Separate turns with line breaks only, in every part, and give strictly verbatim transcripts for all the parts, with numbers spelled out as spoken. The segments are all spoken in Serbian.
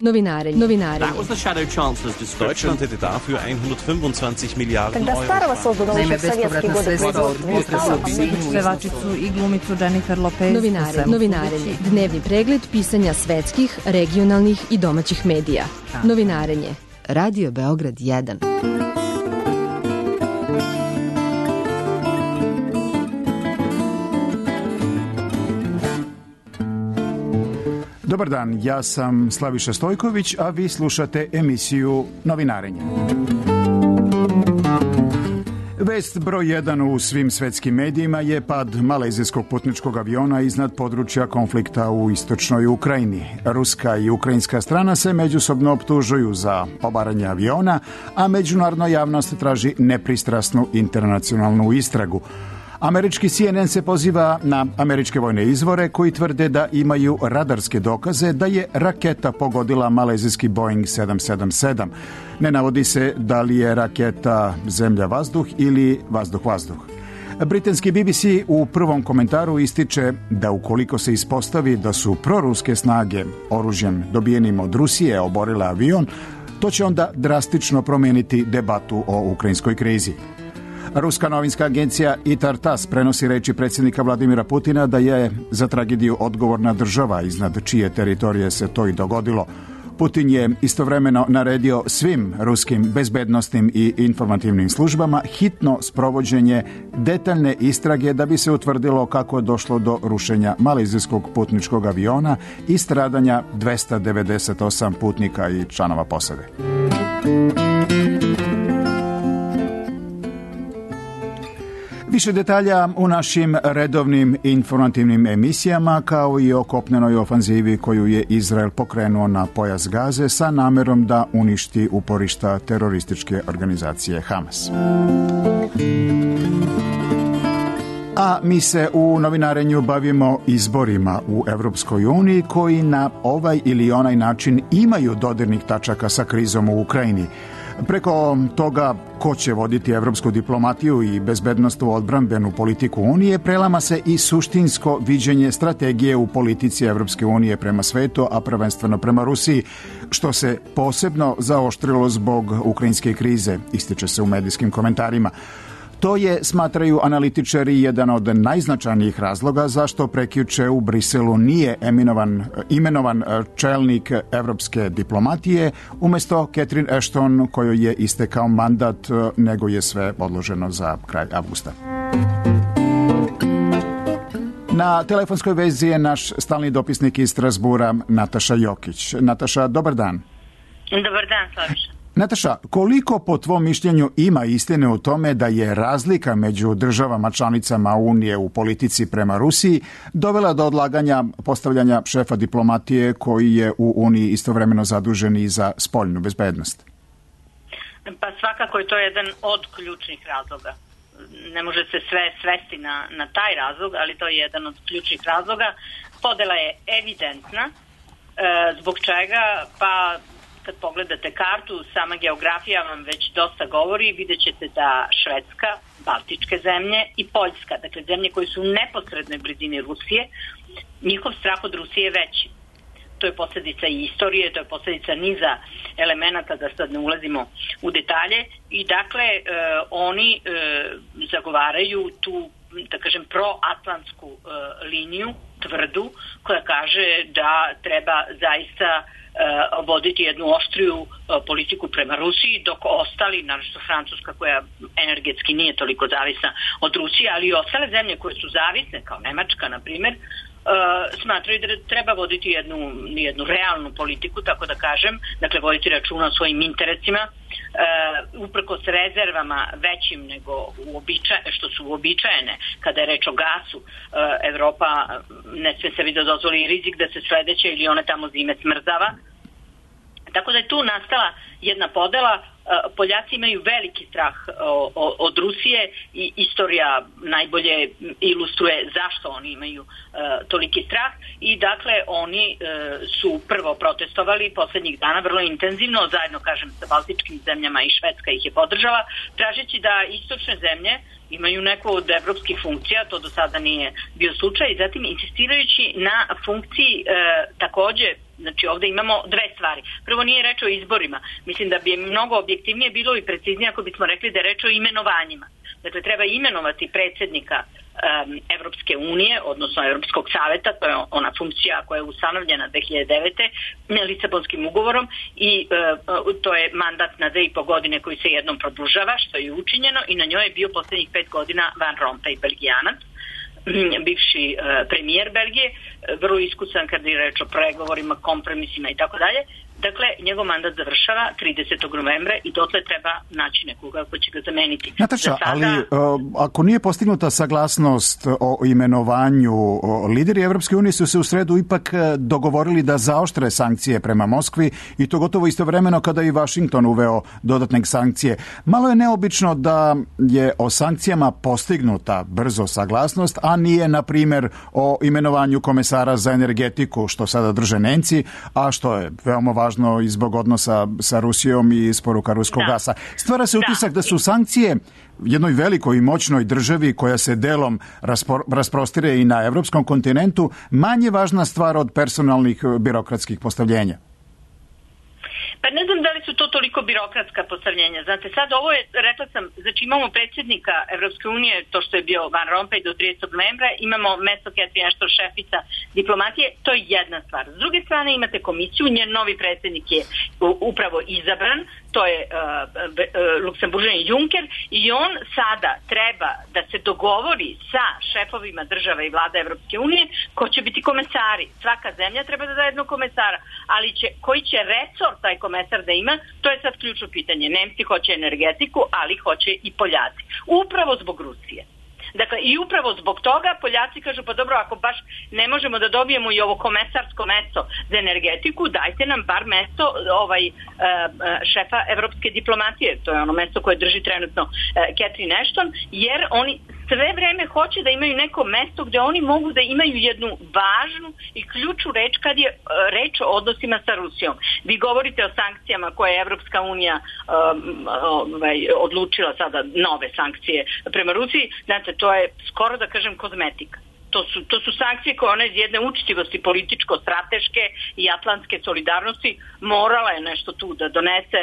Novinarenje. Novinarenje.
That was the Shadow Chancellor's description.
Deutschland hätte dafür hundertfünfundzwanzig Miliarden
Когда
Euro.
Старого создано
Naime,
еще в советские годы производства.
Pevačicu i glumicu Jennifer Lopez.
Novinarenje. Novinarenje. Dnevni pregled pisanja svetskih, regionalnih i domaćih medija. Novinarenje. Radio Beograd jedan.
Dobar dan, ja sam Slaviša Stojković, a vi slušate emisiju Novinarenje. Vest broj jedan u svim svetskim medijima je pad malezijskog putničkog aviona iznad područja konflikta u istočnoj Ukrajini. Ruska i ukrajinska strana se međusobno optužuju za obaranje aviona, a međunarodna javnost traži nepristrasnu internacionalnu istragu. Američki C N N se poziva na američke vojne izvore koji tvrde da imaju radarske dokaze da je raketa pogodila malezijski Boeing sedam sedam sedam. Ne navodi se da li je raketa zemlja-vazduh ili vazduh-vazduh. Britanski B B C u prvom komentaru ističe da ukoliko se ispostavi da su proruske snage oružjem dobijenim od Rusije oborile avion, to će onda drastično promijeniti debatu o ukrajinskoj krizi. Ruska novinska agencija I T A R TASS prenosi reči predsjednika Vladimira Putina da je za tragediju odgovorna država iznad čije teritorije se to i dogodilo. Putin je istovremeno naredio svim ruskim bezbednosnim i informativnim službama hitno sprovođenje detaljne istrage da bi se utvrdilo kako je došlo do rušenja malezijskog putničkog aviona i stradanja dvesta devedeset osam putnika i članova posade. Više detalja u našim redovnim informativnim emisijama, kao i o kopnenoj ofanzivi koju je Izrael pokrenuo na pojas Gaze sa namerom da uništi uporišta terorističke organizacije Hamas. A mi se u novinarenju bavimo izborima u Evropskoj uniji koji na ovaj ili onaj način imaju dodirnih tačaka sa krizom u Ukrajini. Preko toga ko će voditi evropsku diplomatiju i bezbednostnu odbrambenu politiku Unije, prelama se i suštinsko viđenje strategije u politici Evropske unije prema svetu, a prvenstveno prema Rusiji, što se posebno zaoštrilo zbog ukrajinske krize, ističe se u medijskim komentarima. To je, smatraju analitičari, jedan od najznačajnijih razloga zašto prekjuče u Briselu nije eminovan, imenovan čelnik evropske diplomatije umjesto Catherine Ashton, kojoj je istekao mandat, nego je sve odloženo za kraj avgusta. Na telefonskoj vezi je naš stalni dopisnik iz Strasbura, Nataša Jokić. Nataša, dobar dan.
Dobar dan, Slaviša.
Nataša, koliko po tvom mišljenju ima istine u tome da je razlika među državama članicama Unije u politici prema Rusiji dovela do odlaganja postavljanja šefa diplomatije koji je u Uniji istovremeno zadužen i za spoljnu bezbednost?
Pa svakako je to jedan od ključnih razloga. Ne može se sve svesti na, na taj razlog, ali to je jedan od ključnih razloga. Podela je evidentna, e, zbog čega pa kad pogledate kartu, sama geografija vam već dosta govori, vidjet ćete da Švedska, Baltičke zemlje i Poljska, dakle zemlje koje su u neposrednoj blizini Rusije, njihov strah od Rusije je veći. To je posljedica i istorije, to je posljedica niza elemenata, da sad ne ulazimo u detalje, i dakle e, oni e, zagovaraju tu, da kažem, proatlantsku e, liniju, tvrdu, koja kaže da treba zaista voditi jednu oštriju politiku prema Rusiji, dok ostali, naročito Francuska koja energetski nije toliko zavisna od Rusije, ali i ostale zemlje koje su zavisne, kao Nemačka, na primjer, smatraju da treba voditi jednu, jednu realnu politiku, tako da kažem, dakle voditi računa o svojim interesima, uprkos rezervama većim nego uobičaj, što su uobičajene kada je reč o gasu. Evropa ne sme sebi da dozvoli rizik da se sledeće ili one tamo zime smrzava. Tako da je tu nastala jedna podela. Poljaci imaju veliki strah od Rusije i istorija najbolje ilustruje zašto oni imaju toliki strah, i dakle oni su prvo protestovali posljednjih dana vrlo intenzivno, zajedno kažem sa baltičkim zemljama, i Švedska ih je podržala, tražeći da istočne zemlje imaju neku od evropskih funkcija, to do sada nije bio slučaj, i zatim insistirajući na funkciji takođe Znači ovde imamo dve stvari. Prvo, nije reč o izborima. Mislim da bi mnogo objektivnije bilo i preciznije ako bismo rekli da je reč o imenovanjima. Dakle, treba imenovati predsjednika um, Evropske unije, odnosno Evropskog saveta, to je ona funkcija koja je ustanovljena dve hiljade devete. Lisabonskim ugovorom i uh, to je mandat na dve i po godine koji se jednom produžava, što je učinjeno, i na njoj je bio posljednjih pet godina Van Rompuy, Belgijanac, bivši uh, premijer Belgije, vrlo iskusan kad je reč o pregovorima, kompromisima i tako dalje. Dakle, njegov mandat završava tridesetog novembra i dotle treba naći nekoga ko će ga zameniti.
Nataša,
sada...
ali uh, ako nije postignuta saglasnost o imenovanju, o, lideri Evropske unije su se u sredu ipak dogovorili da zaoštre sankcije prema Moskvi i to gotovo istovremeno kada i Vašington uveo dodatne sankcije. Malo je neobično da je o sankcijama postignuta brzo saglasnost, a nije, na primjer, o imenovanju komesara za energetiku, što sada drže Nemci, a što je veoma važno i zbog odnosa sa Rusijom i isporuka ruskog
da.
gasa. Stvara se utisak da. da su sankcije jednoj velikoj i moćnoj državi koja se delom raspor, rasprostire i na evropskom kontinentu manje važna stvar od personalnih birokratskih postavljenja.
Pa ne znam da li su to toliko birokratska postavljenja. Znate, sad ovo je, rekla sam, znači imamo predsjednika Evropske unije, to što je bio Van Rompuy do tridesetog novembra, imamo mesto Catherine Ashton, šefica diplomatije, to je jedna stvar. S druge strane imate komisiju, njen novi predsjednik je upravo izabran, to je uh, uh, Luksemburžanin Juncker, i on sada treba da se dogovori sa šefovima država i vlada Evropske unije ko će biti komesari. Svaka zemlja treba da da jednog komesara, ali će, koji će resor taj komesar da ima, to je sad ključno pitanje. Nemci hoće energetiku, ali hoće i Poljaci. Upravo zbog Rusije. Dakle, i upravo zbog toga Poljaci kažu, pa dobro, ako baš ne možemo da dobijemo i ovo komesarsko mesto za energetiku, dajte nam bar mesto ovaj, šefa evropske diplomatije. To je ono mesto koje drži trenutno Catherine Ashton, jer oni sve vreme hoće da imaju neko mesto gde oni mogu da imaju jednu važnu i ključnu reč kad je reč o odnosima sa Rusijom. Vi govorite o sankcijama koje je Evropska unija um, ovaj, odlučila sada, nove sankcije prema Rusiji. Znate, to je skoro da kažem kozmetika. To su, to su sankcije koje ona iz jedne učitivosti političko-strateške i atlantske solidarnosti morala je nešto tu da donese,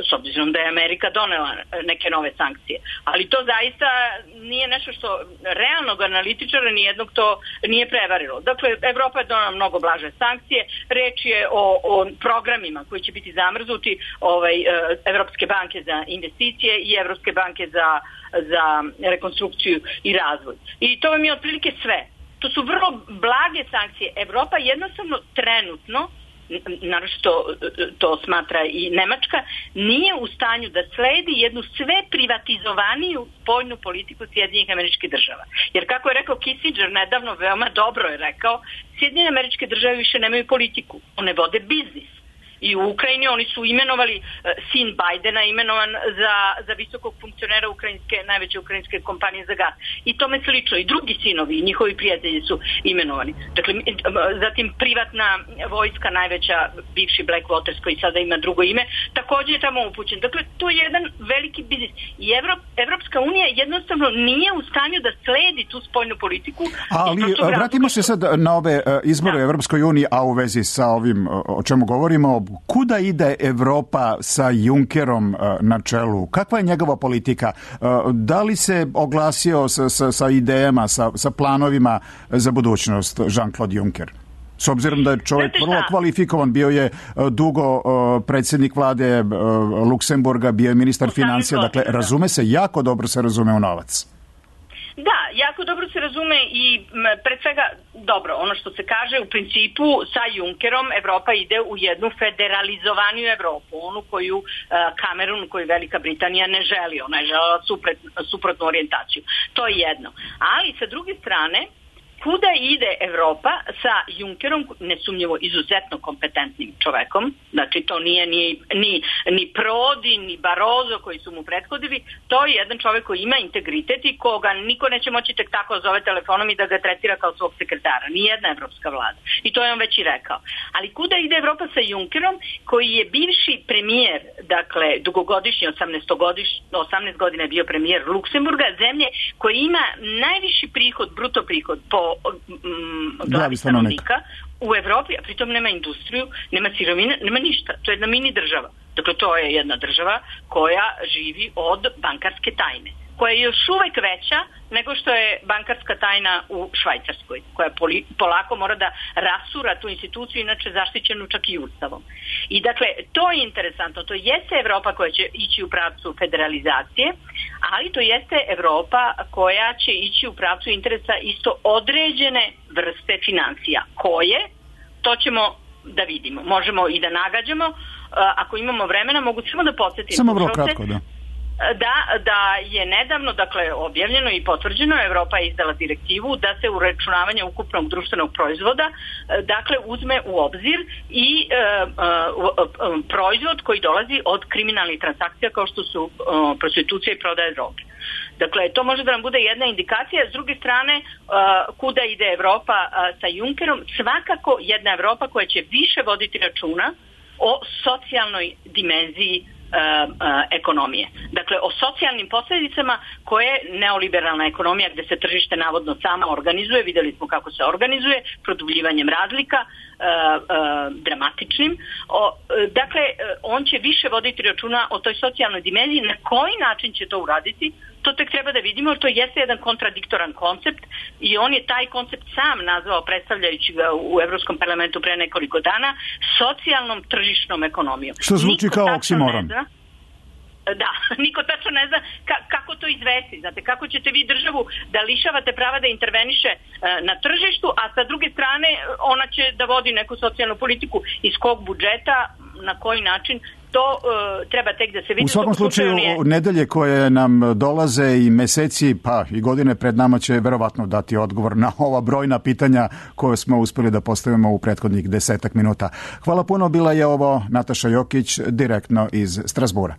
s obzirom da je Amerika donela neke nove sankcije. Ali to zaista nije nešto što realnog analitičara nijednog to nije prevarilo. Dakle, Evropa je donela mnogo blaže sankcije. Reč je o, o programima koji će biti zamrznuti, ovaj, Evropske banke za investicije i Evropske banke za za rekonstrukciju i razvoj. I to vam je otprilike sve. To su vrlo blage sankcije. Evropa jednostavno trenutno, naročito to smatra i Nemačka, nije u stanju da sledi jednu sve privatizovaniju spoljnu politiku Sjedinjenih Američkih Država. Jer kako je rekao Kissinger nedavno, veoma dobro je rekao, Sjedinjene Američke Države više nemaju politiku. One vode biznis. I u Ukrajini oni su imenovali, sin Bajdena imenovan za, za visokog funkcionera ukrajinske, najveće ukrajinske kompanije za gas. I tome slično. I drugi sinovi i njihovi prijatelji su imenovani. Dakle, zatim privatna vojska, najveća, bivši Blackwaters koji sada ima drugo ime, također je tamo upućen. Dakle, to je jedan veliki biznis. I Evrop, Evropska unija jednostavno nije u stanju da sledi tu spoljnu politiku.
Ali vratimo se sad na ove izbore u Evropskoj uniji, a u vezi sa ovim o čemu govorimo. Kuda ide Evropa sa Junckerom na čelu? Kakva je njegova politika? Da li se oglasio sa, sa, sa idejama, sa, sa planovima za budućnost Jean-Claude Juncker? S obzirom da je čovjek vrlo kvalifikovan, bio je dugo predsjednik vlade Luksemburga, bio je ministar financija, dakle razume se, jako dobro se razume u novac.
Da, jako dobro se razume i pred svega, dobro, ono što se kaže, u principu sa Junckerom Evropa ide u jednu federalizovaniju Evropu, onu koju uh, Kamerun, koju Velika Britanija ne želi, ona je želela supret, suprotnu orijentaciju. To je jedno. Ali sa druge strane, kuda ide Evropa sa Junckerom, nesumnjivo izuzetno kompetentnim čovekom, znači to nije ni, ni, ni Prodi, ni Barroso koji su mu prethodili, to je jedan čovek koji ima integritet i koga niko neće moći tek tako zove telefonom i da ga tretira kao svog sekretara, nijedna evropska vlada. I to je on već i rekao. Ali kuda ide Evropa sa Junckerom, koji je bivši premijer, dakle dugogodišnji, osamnaest godina je bio premijer Luksemburga, zemlje koja ima najviši prihod, bruto prihod po glavi stanovnika u Evropi, a pritom nema industriju, nema sirovine, nema ništa. To je jedna mini država. Dakle, to je jedna država koja živi od bankarske tajne, koja je još uvek veća nego što je bankarska tajna u Švajcarskoj, koja poli, polako mora da rasura tu instituciju, inače zaštićenu čak i ustavom. I dakle, to je interesantno, to jeste Evropa koja će ići u pravcu federalizacije, ali to jeste Evropa koja će ići u pravcu interesa isto određene vrste financija. Koje? To ćemo da vidimo. Možemo i da nagađamo. Ako imamo vremena, mogu samo da podsjetim.
Samo vrlo kratko, da.
Da, da je nedavno, dakle, objavljeno i potvrđeno, Evropa je izdala direktivu da se uračunavanje ukupnog društvenog proizvoda, dakle, uzme u obzir i e, e, proizvod koji dolazi od kriminalnih transakcija kao što su e, prostitucija i prodaja droge. Dakle, to može da nam bude jedna indikacija. S druge strane, e, kuda ide Evropa e, sa Junckerom? Svakako jedna Evropa koja će više voditi računa o socijalnoj dimenziji Uh, uh, ekonomije. Dakle, o socijalnim posljedicama koje neoliberalna ekonomija, gde se tržište navodno samo organizuje, vidjeli smo kako se organizuje, produbljivanjem razlika, uh, uh, dramatičnim. O, uh, dakle, uh, on će više voditi računa o toj socijalnoj dimenziji. Na koji način će to uraditi? To tek treba da vidimo, to jeste jedan kontradiktoran koncept i on je taj koncept sam nazvao, predstavljajući ga u Evropskom parlamentu pre nekoliko dana, socijalnom tržišnom ekonomijom.
Što zvuči kao oksimoron.
Da, niko tačno ne zna ka- kako to izvesti. Znate, kako ćete vi državu da lišavate prava da interveniše e, na tržištu, a sa druge strane ona će da vodi neku socijalnu politiku iz kog budžeta, na koji način, to e, treba tek da se vidi.
U svakom slučaju,
nije...
nedelje koje nam dolaze i meseci, pa i godine pred nama će verovatno dati odgovor na ova brojna pitanja koje smo uspeli da postavimo u prethodnih desetak minuta. Hvala puno, bila je ovo Nataša Jokić, direktno iz Strazbura.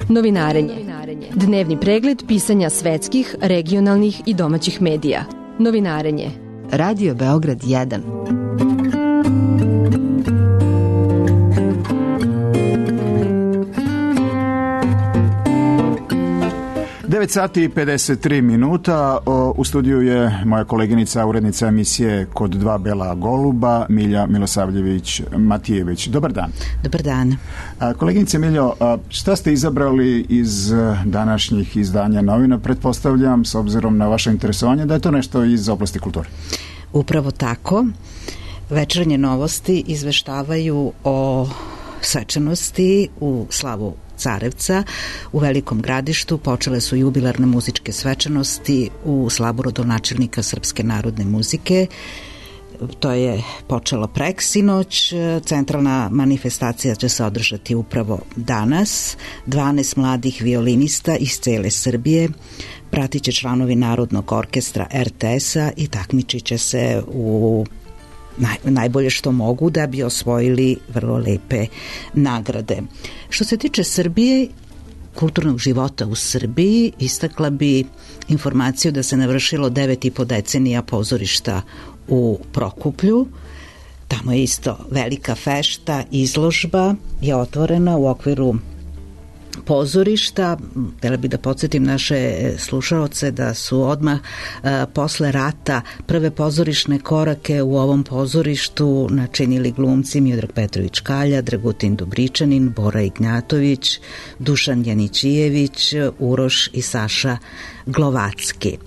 Novinarenje. Dnevni pregled pisanja svetskih, regionalnih i domaćih medija. Novinarenje. Radio Beograd jedan.
devet sati i pedeset tri minuta. U studiju je moja koleginica, urednica emisije Kod dva bela goluba, Milja Milosavljević-Matijević. Dobar dan.
Dobar dan.
Koleginice Miljo, šta ste izabrali iz današnjih izdanja novina? Pretpostavljam, s obzirom na vaše interesovanje, da je to nešto iz oblasti kulture.
Upravo tako. Večernje novosti izveštavaju o svečanosti u slavu Carevca u Velikom Gradištu. Počele su jubilarne muzičke svečanosti u slavu rodonačelnika Srpske narodne muzike. To je počelo preksinoć. Centralna manifestacija će se održati upravo danas. dvanaest mladih violinista iz cele Srbije pratit će članovi Narodnog orkestra er te es-a i takmičit će se u Naj, najbolje što mogu da bi osvojili vrlo lepe nagrade. Što se tiče Srbije, kulturnog života u Srbiji, istakla bi informaciju da se navršilo devet i po decenija pozorišta u Prokuplju. Tamo je isto velika fešta, izložba je otvorena u okviru pozorišta. Htjela bih da podsjetim naše slušaoce da su odmah e, posle rata prve pozorišne korake u ovom pozorištu načinili glumci Miodrag Petrović Kalja, Dragutin Dobričanin, Bora Ignjatović, Dušan Janićijević, Uroš i Saša Glovacki.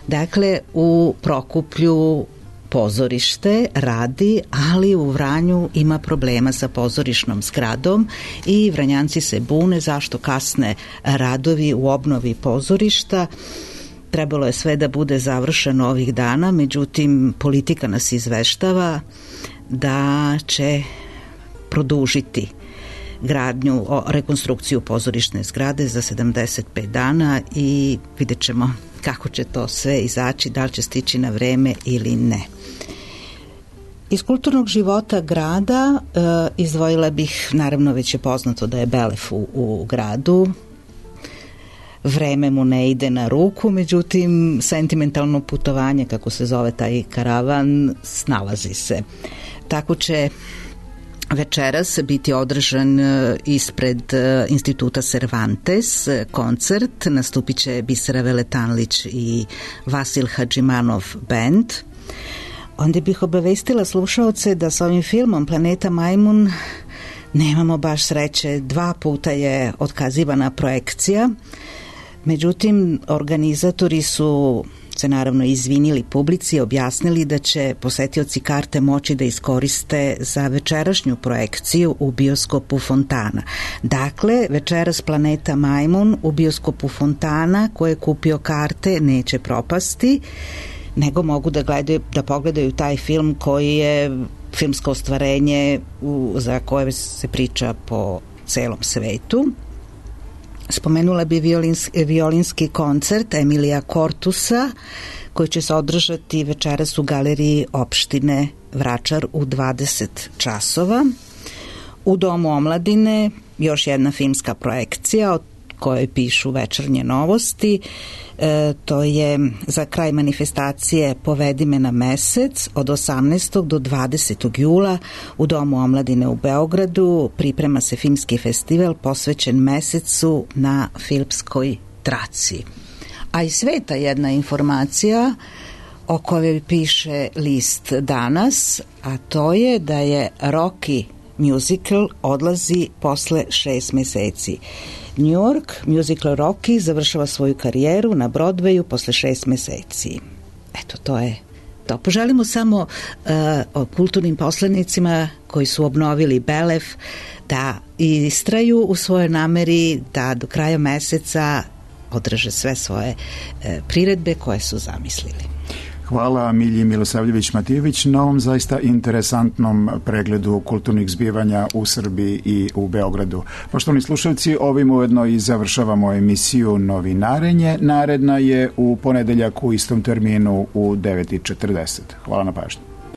Dakle, u Prokuplju pozorište radi, ali u Vranju ima problema sa pozorišnom zgradom i Vranjanci se bune zašto kasne radovi u obnovi pozorišta. Trebalo je sve da bude završeno ovih dana, međutim politika nas izveštava da će produžiti gradnju, o rekonstrukciju pozorišne zgrade za sedamdeset pet dana i vidjet ćemo kako će to sve izaći, da li će stići na vreme ili ne. Iz kulturnog života grada e, izdvojila bih, naravno već je poznato da je Belef u, u gradu, vreme mu ne ide na ruku, međutim sentimentalno putovanje, kako se zove taj karavan, snalazi se. Tako će večeras biti održan ispred Instituta Cervantes koncert, nastupit će Bisera Veletanlić i Vasil Hadžimanov band. Onda bih obavestila slušaoce da sa ovim filmom Planeta Majmun nemamo baš sreće, dva puta je otkazivana projekcija, međutim organizatori su se naravno izvinili publici i objasnili da će posetioci karte moći da iskoriste za večerašnju projekciju u bioskopu Fontana. Dakle, večeras Planeta Majmun u bioskopu Fontana, ko je kupio karte neće propasti, nego mogu da gledaju, da pogledaju taj film koji je filmsko ostvarenje u, za koje se priča po celom svetu. Spomenula bi violinski, violinski koncert Emilija Kortusa koji će se održati večeras u galeriji opštine Vračar u dvadeset časova. U Domu omladine još jedna filmska projekcija od koje pišu Večernje novosti. E, to je za kraj manifestacije Povedi me na mesec od osamnaestog do dvadesetog jula u Domu omladine u Beogradu. Priprema se filmski festival posvećen mesecu na filmskoj traci. A iz sveta jedna informacija o kojoj piše list Danas, a to je da je Rocky musical odlazi posle šest meseci. New York musical Rocky završava svoju karijeru na Broadwayu posle šest meseci. Eto, to je to. Poželimo samo uh, o kulturnim poslanicima koji su obnovili Belef da istraju u svojoj nameri da do kraja meseca održe sve svoje uh, priredbe koje su zamislili.
Hvala Milji Milosavljević-Matijević na ovom zaista interesantnom pregledu kulturnih zbivanja u Srbiji i u Beogradu. Poštovani slušalci, ovim ujedno i završavamo emisiju Novinarenje. Naredna je u ponedeljak u istom terminu u devet i četrdeset. Hvala na pažnju.